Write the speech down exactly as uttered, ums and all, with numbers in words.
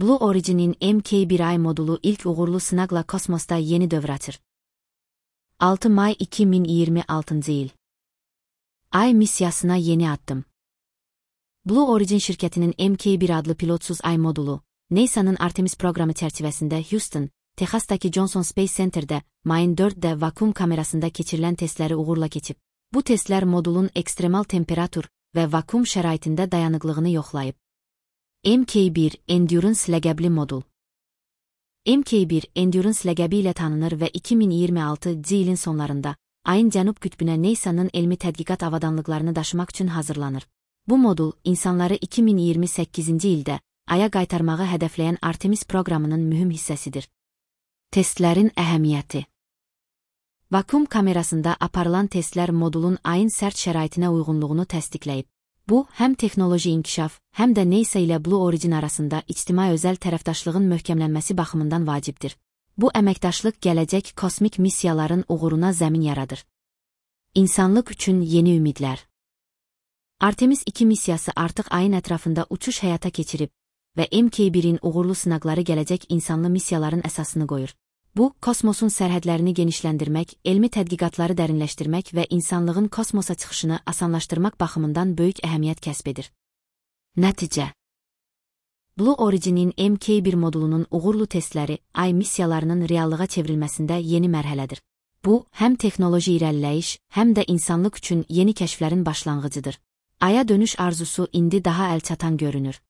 Blue Origin'in M K bir ay modulu ilk uğurlu sınaqla kosmosda yeni dövr açır. altı May iki bin iyirmi altıncı yıl. Ay misyasına yeni adım. Blue Origin şirkətinin M K bir adlı pilotsuz ay modulu, NASA'nın Artemis proqramı çərçivəsində Houston, Texas'daki Johnson Space Center'də mayın dörddə vakum kamerasında keçirilən testləri uğurla keçib. Bu testlər modulun ekstremal temperatur və vakum şəraitində dayanıqlığını yoxlayıb. M K bir Endurance ləqəbli modul. M K bir Endurance ləqəbi ilə tanınır və iki bin iyirmi altıncı ilin sonlarında ayın cənub qütbünə NASA'nın elmi tədqiqat avadanlıqlarını daşımaq üçün hazırlanır. Bu modul, insanları iki bin iyirmi səkkizinci ildə Aya qaytarmağı hədəfləyən Artemis proqramının mühüm hissəsidir. Testlərin əhəmiyyəti. Vakum kamerasında aparılan testlər modulun ayın sərt şəraitinə uyğunluğunu təsdiqləyib. Bu, həm texnoloji inkişaf, həm də NASA ilə Blue Origin arasında ictimai-özəl tərəfdaşlığın möhkəmlənməsi baxımından vacibdir. Bu əməkdaşlıq gələcək kosmik missiyaların uğuruna zəmin yaradır. İnsanlıq üçün yeni ümidlər. Artemis iki missiyası artıq ayın ətrafında uçuş həyata keçirib və M K birin uğurlu sınaqları gələcək insanlı missiyaların əsasını qoyur. Bu, kosmosun sərhədlərini genişləndirmək, elmi tədqiqatları dərinləşdirmək və insanlığın kosmosa çıxışını asanlaşdırmaq baxımından böyük əhəmiyyət kəsb edir. Nəticə. Blue Origin'in M K bir modulunun uğurlu testləri ay missiyalarının reallığa çevrilməsində yeni mərhələdir. Bu, həm texnoloji irəliləyiş, həm də insanlıq üçün yeni kəşflərin başlanğıcıdır. Aya dönüş arzusu indi daha əlçatan görünür.